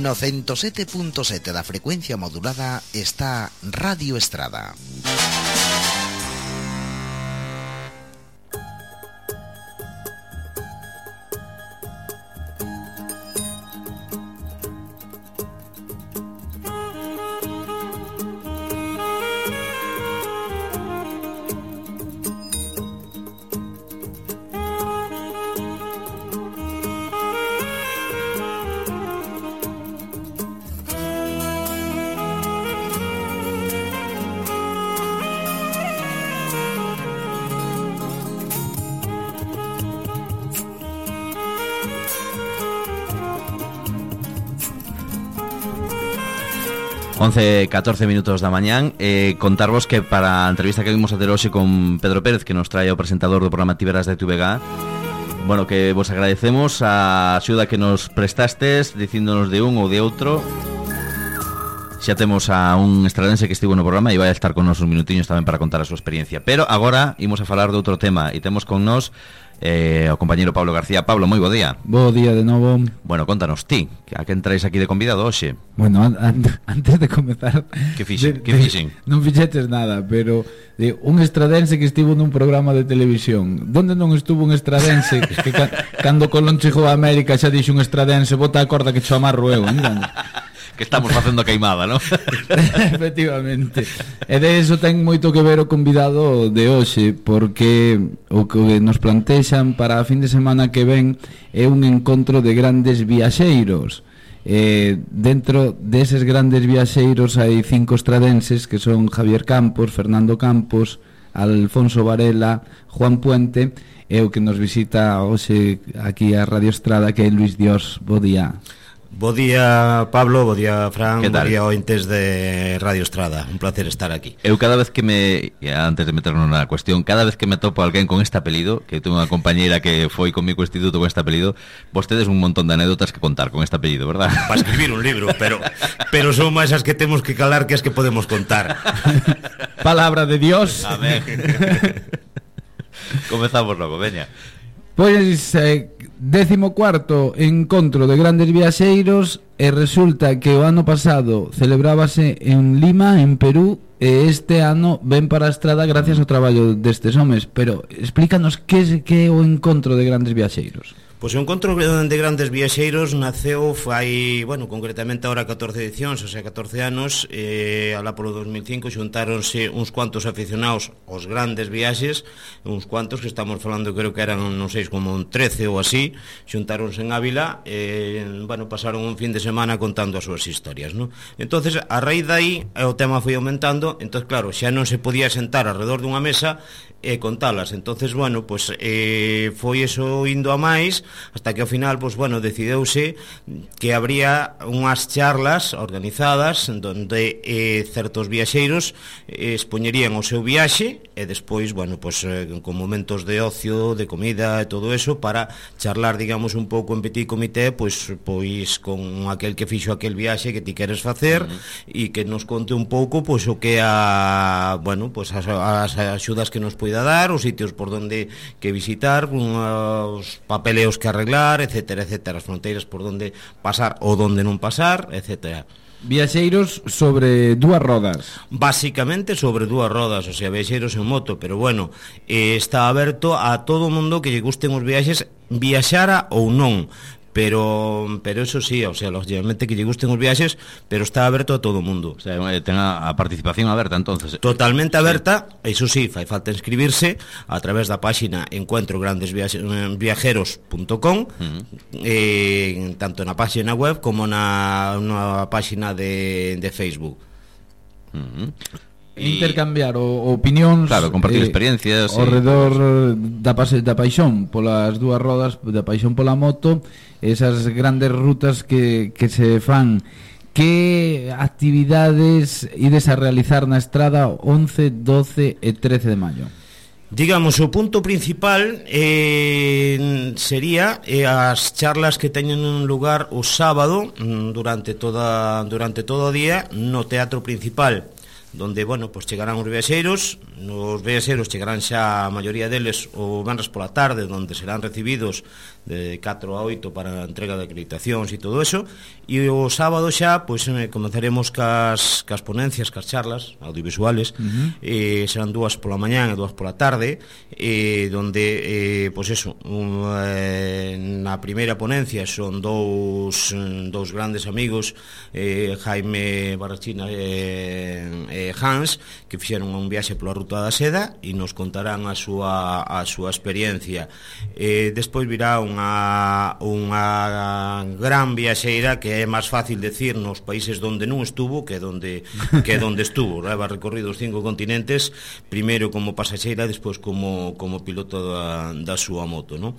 No 107.7 da frecuencia modulada está Radio Estrada. Once, 14 minutos da mañán. Contarvos que para a entrevista que vimos a ter hoxe con Pedro Pérez, que nos trae o presentador do programa Tiberas de TVG, bueno, que vos agradecemos a axuda que nos prestastes dicíndonos de un ou de outro. Xa temos a un estradense que estivo no programa e vai a estar con nos uns minutiños tamén para contar a súa experiencia. Pero agora imos a falar de outro tema e temos con nos o compañeiro Pablo García. Pablo, moi bo día. Bo día de novo. Bueno, contanos ti, a quen traes aquí de convidado hoxe? Bueno, antes de comezar, que fixen? Non fixetes nada, pero un estradense que estivo nun programa de televisión. Donde non estuvo un estradense que cando Colón chegou a América xa dixo un estradense, bota a corda que cho amarro eu, entende? Que estamos facendo a queimada, ¿no? Efectivamente. E de eso ten moito que ver o convidado de hoxe, porque o que nos plantexan para a fin de semana que ven é un encontro de grandes viaxeiros. Dentro deses grandes viaxeiros hai 5 estradenses que son Javier Campos, Fernando Campos, Alfonso Varela, Juan Puente e o que nos visita hoxe aquí a Radio Estrada, que é Luis Dios. Bo día. Bo día, Pablo, bo día, Fran, bo día, ointes de Radio Estrada. Un placer estar aquí. Eu cada vez que antes de meternos na cuestión, cada vez que me topo alguén con este apelido, que tengo unha compañeira que foi comigo ao instituto con este apelido, vos tedes un montón de anécdotas que contar con este apelido, verdad? Para escribir un libro, pero son máis as que temos que calar que as que podemos contar. Palabra de Dios. Amén. Comezamos logo, veña. Pois 14º encontro de grandes viaxeiros, e resulta que o ano pasado celebrábase en Lima, en Perú, e este ano ven para a Estrada gracias ao traballo destes homes. Pero explícanos que é o encontro de grandes viaxeiros. Pois o encontro de grandes viaxeiros naceu fai, bueno, concretamente ahora 14 edicións, o sea, 14 anos, alá polo 2005 xuntáronse uns cuantos aficionados aos grandes viaxes, uns cuantos que estamos falando, creo que eran, non sei, como un 13 ou así, xuntáronse en Ávila, bueno, pasaron un fin de semana contando as súas historias, ¿no? Entonces, a raíz de aí, o tema foi aumentando, entonces, claro, xa non se podía sentar alrededor dunha mesa e contalas, entonces, bueno, pues foi eso indo a máis, hasta que ao final, pues bueno, decideuse que habría unhas charlas organizadas donde certos viaxeiros expoñerían o seu viaxe e despois, bueno, pues con momentos de ocio, de comida e todo eso para charlar, digamos, un pouco en petit comité, pois con aquel que fixo aquel viaxe que ti queres facer e que nos conte un pouco pois o que bueno, pues as axudas que nos poida dar, os sitios por donde que visitar, os papeleos que arreglar, etcétera, etcétera, as fronteiras por donde pasar ou donde non pasar, etcétera. Viaxeiros sobre dúas rodas. Básicamente sobre dúas rodas, o sea, viaxeiros en moto, pero bueno, está aberto a todo o mundo que lle gusten os viaxes, viaxara ou non. Pero eso sí, o sea, lógicamente que lle gusten os viaxes, pero está aberto a todo o mundo. O sea, ten a participación aberta, entonces. Totalmente aberta, sí. Eso sí, fai falta inscribirse a través da páxina encuentrograndesviajeros.com, tanto na páxina web como na páxina de Facebook. Intercambiar opinións, claro, compartir experiencias ao redor da paixón polas dúas rodas, da paixón pola moto, esas grandes rutas que se fan. Que actividades ides a realizar na Estrada 11, 12 e 13 de maio? Digamos, o punto principal sería as charlas que teñen un lugar o sábado durante todo o día no teatro principal donde, bueno, pues chegarán os viaxeiros chegarán xa a maioría deles o venres pola tarde, onde serán recibidos de 4 a 8 para a entrega de acreditacións e todo eso, e o sábado xa pois comenzaremos cas ponencias, cas charlas audiovisuales, serán 2 pola mañán e 2 pola tarde, donde pois eso, na primeira ponencia son dous grandes amigos, Jaime Barrachina e Hans, que fixeron un viaxe pola Ruta da Seda e nos contarán a súa experiencia. Despois virá unha gran viaxeira que é máis fácil decir nos países onde non estuvo que onde estuvo. Leva recorrido os 5 continentes, primeiro como pasaxeira, despois como piloto da súa moto, non?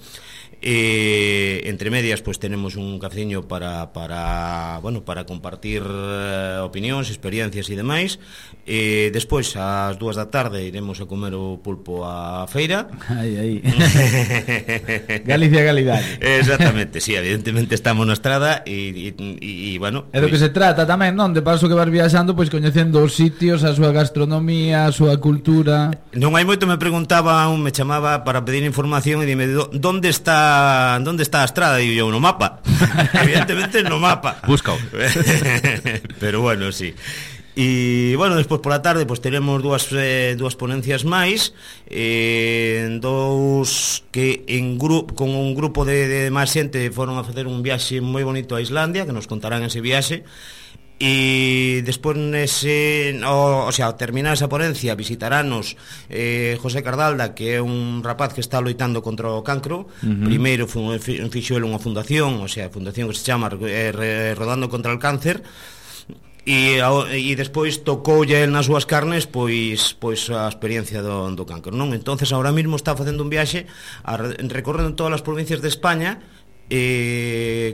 Entre medias pois tenemos un cafeciño para compartir opinións, experiencias e demais. Despois ás 2 da tarde iremos a comer o pulpo á feira. Aí. Galicia calidade. Exactamente, sí, evidentemente estamos na estrada e bueno, é do que se trata tamén, non? De paso que vas viaxando, pois coñecendo os sitios, a súa gastronomía, a súa cultura. Non hai moito me preguntaba, me chamaba para pedir información e dime, onde está a estrada? E eu, no mapa. Evidentemente no mapa. Buscao. Pero bueno, sí. E, bueno, despois pola tarde pois teremos dúas ponencias máis, dous que con un grupo de máis xente foron a facer un viaxe moi bonito a Islandia, que nos contarán ese viaxe. E despois ao terminar esa ponencia visitaranos José Cardalda, que é un rapaz que está loitando contra o cancro. Primeiro fixo ele unha fundación, a fundación que se chama Rodando contra el Cáncer, e despois tocoulle el nas súas carnes pois a experiencia do cancro, non? Entonces ahora mismo está facendo un viaxe recorrendo todas as provincias de España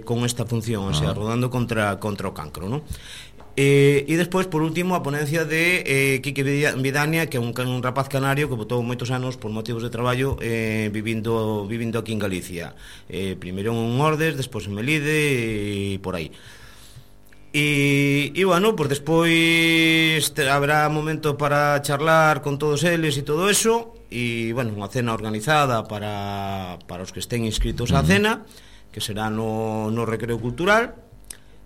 con esta función, rodando contra o cancro, non? E despois, por último, a ponencia de Quique Vidania, que é un rapaz canario que botou moitos anos por motivos de traballo vivindo aquí en Galicia, primeiro en Ordes, despois en Melide e por aí. E bueno, pues despois habrá momento para charlar con todos eles e todo eso, e bueno, unha cena organizada para os que estén inscritos á cena, que será no Recreo Cultural.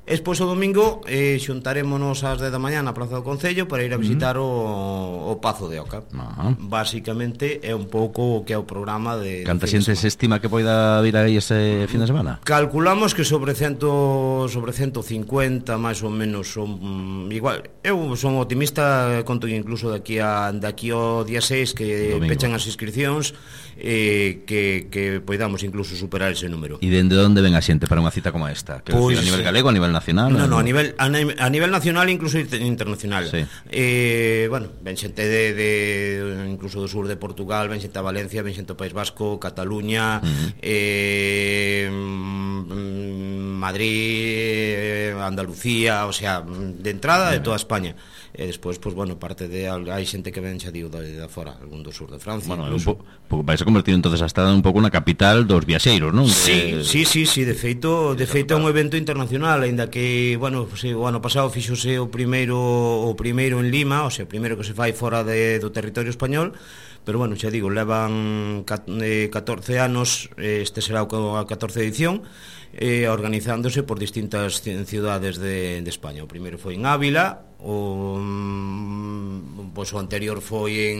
Despois o domingo xuntarémonos ás 10 da mañá na Praza do Concello para ir a visitar o Pazo de Oca. Basicamente é un pouco o que é o programa de... Canta xente se estima que poida vir aí ese fin de semana? Calculamos que sobre 150 máis ou menos son igual. Eu son optimista, conto incluso daqui ao día 6 que domingo pechan as inscripcións, que poidamos incluso superar ese número. E dende onde ven a xente para unha cita como esta? Pues, a nivel galego, a nivel nacional? No, a nivel nacional e incluso internacional. Sí. Bueno, ven xente incluso do sur de Portugal, ven xente a Valencia, ven xente ao País Vasco, Cataluña, Madrid, Andalucía, o sea, de entrada de toda España. E despois, pues bueno, parte de hai xente que ven xa digo de fora, algún do sur de Francia. Bueno, vais a convertir entonces a Estrada un pouco na capital dos viaxeiros, non? Sí, de feito é un evento internacional, aínda que, bueno, pues, o ano pasado fixose o primeiro en Lima, o sea, o primeiro que se fai fora do territorio español. Pero bueno, xa digo, levan 14 anos, este será a 14 edición, organizándose por distintas cidades de España. O primeiro foi en Ávila, o anterior foi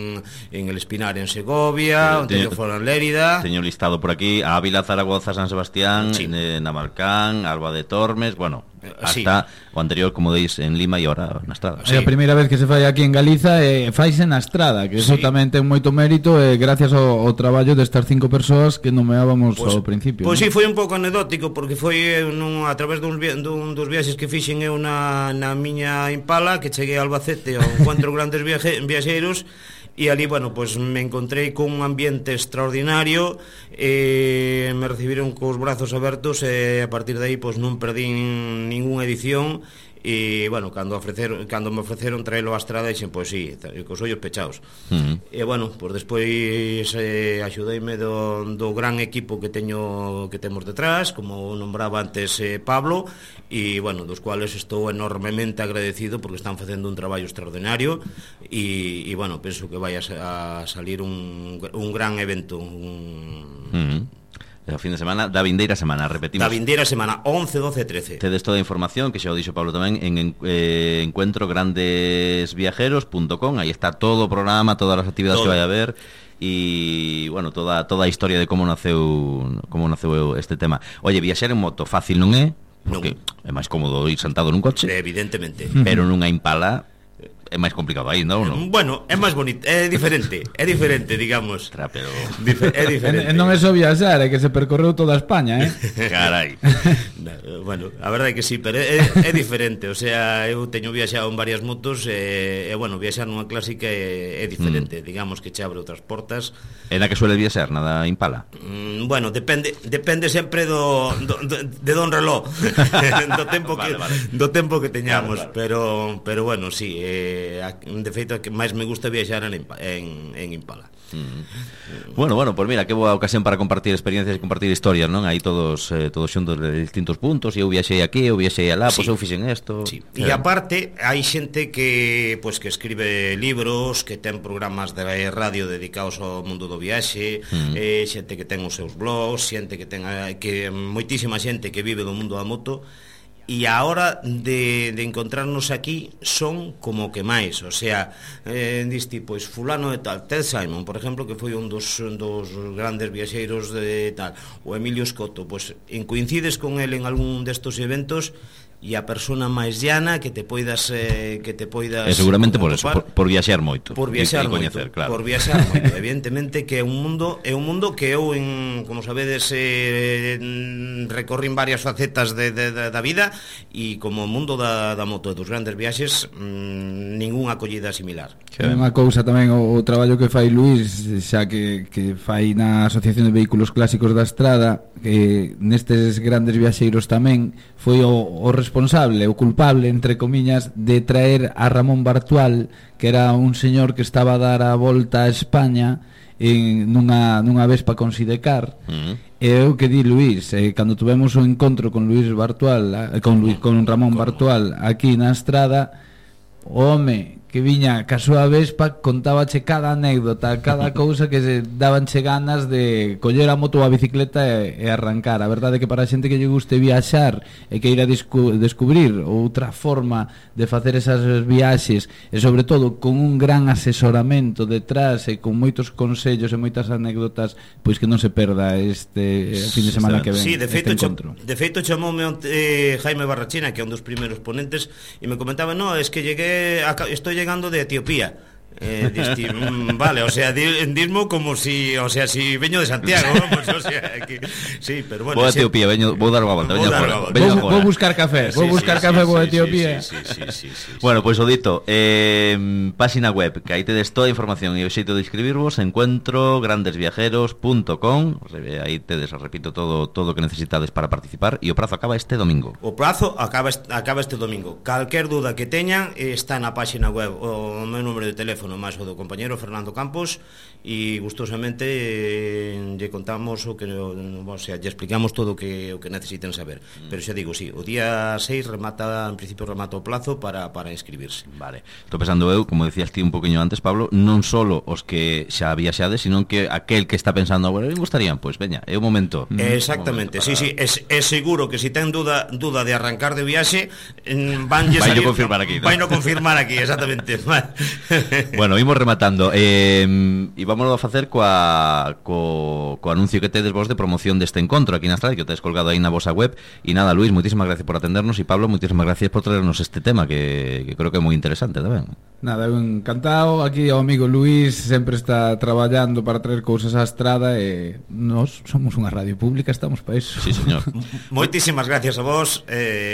en El Espinar, en Segovia, o anterior foi en Lérida. Teño listado por aquí Ávila, Zaragoza, San Sebastián, sí, Navalcán, Alba de Tormes, bueno, hasta sí, o anterior, como deis, en Lima e ahora na Estrada. Sí. É a primeira vez que se fai aquí en Galiza, faise na Estrada, que eso sí, tamén ten moito mérito, gracias ao traballo destas 5 persoas que nomeábamos ao principio. Pois sí, foi un pouco anecdótico, porque foi a través dos viaxes que fixen eu na miña Impala, que cheguei a Albacete ao encontro grandes viaxeiros, e ali, bueno, pues me encontrei con un ambiente extraordinario, me me recibiron cos brazos abertos e a partir de aí pois non perdín ningunha edición. E, bueno, cando me ofreceron traelo á estrada, dixen, pois sí, cos ollos pechados. E, bueno, pois despois axudeime do gran equipo que temos detrás, como nombraba antes Pablo, e, bueno, dos cuales estou enormemente agradecido porque están facendo un traballo extraordinario e bueno, penso que vai a salir un gran evento. O fin de semana, da vindeira semana, repetimos. Da vindeira semana, 11, 12 e 13. Tedes toda a información, que xa o dixo Pablo tamén, en encuentrograndesviajeros.com. Aí está todo o programa, todas as actividades que vai a haber e, bueno, toda a historia de como naceu este tema. Oye, viaxar en moto fácil non é? Porque é máis cómodo ir sentado nun coche. Evidentemente. Pero nunha Impala é máis complicado aí, non? Bueno, é máis bonito, é diferente, digamos. Pero é diferente. Non é só viaxar, é que se percorreu toda España, Carai. Bueno, a verdade é que sí, pero é diferente. O sea, eu teño viaxado en varias motos e bueno, viaxar nunha clásica é diferente. Digamos que che abre outras portas. É na que suele viaxar, nada Impala? Bueno, depende sempre de don reloj. do tempo que teñamos. Claro. Pero bueno, sí, de feito que máis me gusta viaxar en Impala. Bueno, pues mira, que boa ocasión para compartir experiencias e compartir historias, non? Aí todos xuntos de distintos puntos. E eu viaxei aquí, eu viaxei alá, pois eu fixen isto. Sí. E aparte, hai xente que escribe libros, que ten programas de radio dedicados ao mundo do viaxe, xente que ten os seus blogs, xente que ten moitísima xente que vive do mundo da moto. E a hora de encontrarnos aquí son como que máis, o sea, diste, pois, fulano de tal, Ted Simon, por exemplo, que foi un dos grandes viaxeiros de tal, o Emilio Scotto, pois, coincides con el en algún destos eventos e a persona máis llana que te poidas seguramente por eso, por viaxar moito. Por viaxar moito, coñecer, claro. Por viaxar moito, evidentemente que é un mundo que eu como sabedes recorrín varias facetas da vida e como o mundo da moto e dos grandes viaxes ningunha acollida similar. É unha cousa tamén o traballo que fai Luís, xa que fai na Asociación de Vehículos Clásicos da Estrada, que nestes grandes viaxeiros tamén foi o responsable, o culpable, entre comiñas, de traer a Ramón Bartual, que era un señor que estaba a dar a volta a España nunha Vespa con Sidecar. E eu que di Luís, cando tuvemos o encontro con Luís Bartual, con Ramón Bartual aquí na Estrada, o home que viña ca súa Vespa contábache cada anécdota, cada cousa que se dabanche ganas de coller a moto ou a bicicleta e arrancar. A verdade é que para a xente que lle guste viaxar e que ir a descubrir outra forma de facer esas viaxes e sobre todo con un gran asesoramento detrás e con moitos consellos e moitas anécdotas, pois que non se perda este fin de semana que ven. Sí, de feito chamoume Jaime Barrachina, que é un dos primeiros ponentes, e me comentaba, no, es que estoy llegando de Etiopía. Vale, o sea, dismo como si, o sea, si veño de Santiago, ¿no? Pues, o sea, que, sí, pero bueno. Vou a Etiopía, vou dar unha volta, vou buscar café, vou a Etiopía. Sí. Bueno, pois o dito, página web, que aí tedes toda a información e o xeito de inscribirvos, encuentrograndesviajeros.com. Aí tedes, repito, todo o que necesitades para participar, e o prazo acaba este domingo. O prazo acaba este domingo. Calquer duda que teñan está na página web, o meu número de teléfono máis o do compañero Fernando Campos, e gustosamente lle contamos o sea, lle explicamos todo o que necesiten saber. Pero xa digo, sí, o día 6 en principio remata o plazo para inscribirse. Vale. Estou pensando eu, como decías ti un poquinho antes, Pablo, non solo os que xa viaxades, sino que aquel que está pensando, bueno, me gustarían, pois veña, é o momento. Exactamente, sí, é seguro que se ten duda de arrancar de viaxe, vaino confirmar aquí, ¿no? Vaino confirmar aquí, exactamente. Bueno, imos rematando e vámonos a facer co anuncio que tedes vos de promoción deste encontro aquí na Estrada, que o tedes colgado aí na vosa web. E nada, Luís, moitísimas gracias por atendernos, e Pablo, moitísimas gracias por traernos este tema que creo que é moi interesante tamén. Nada, encantado. Aquí o amigo Luís sempre está traballando para traer cousas á Estrada e nós somos unha radio pública, estamos para iso. Sí, señor. Moitísimas gracias a vos,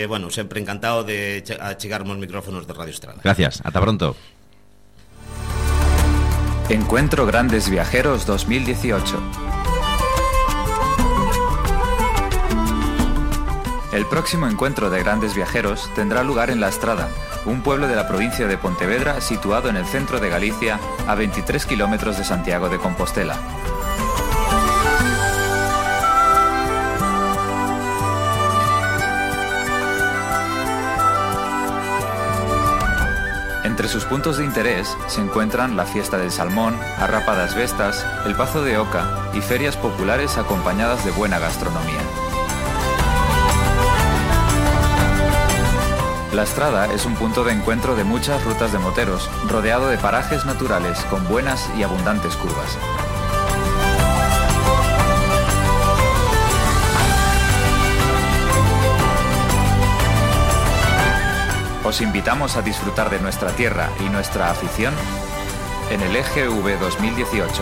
bueno, sempre encantado de achegarmos micrófonos de Radio Estrada. Gracias, ata pronto. Encuentro Grandes Viajeros 2018. El próximo encuentro de grandes viajeros tendrá lugar en La Estrada, un pueblo de la provincia de Pontevedra situado en el centro de Galicia, a 23 kilómetros de Santiago de Compostela. Entre sus puntos de interés se encuentran la fiesta del salmón, a Rapa das Vestas, el Pazo de Oca y ferias populares acompañadas de buena gastronomía. La Estrada es un punto de encuentro de muchas rutas de moteros, rodeado de parajes naturales con buenas y abundantes curvas. Os invitamos a disfrutar de nuestra tierra y nuestra afición en el EGV 2018.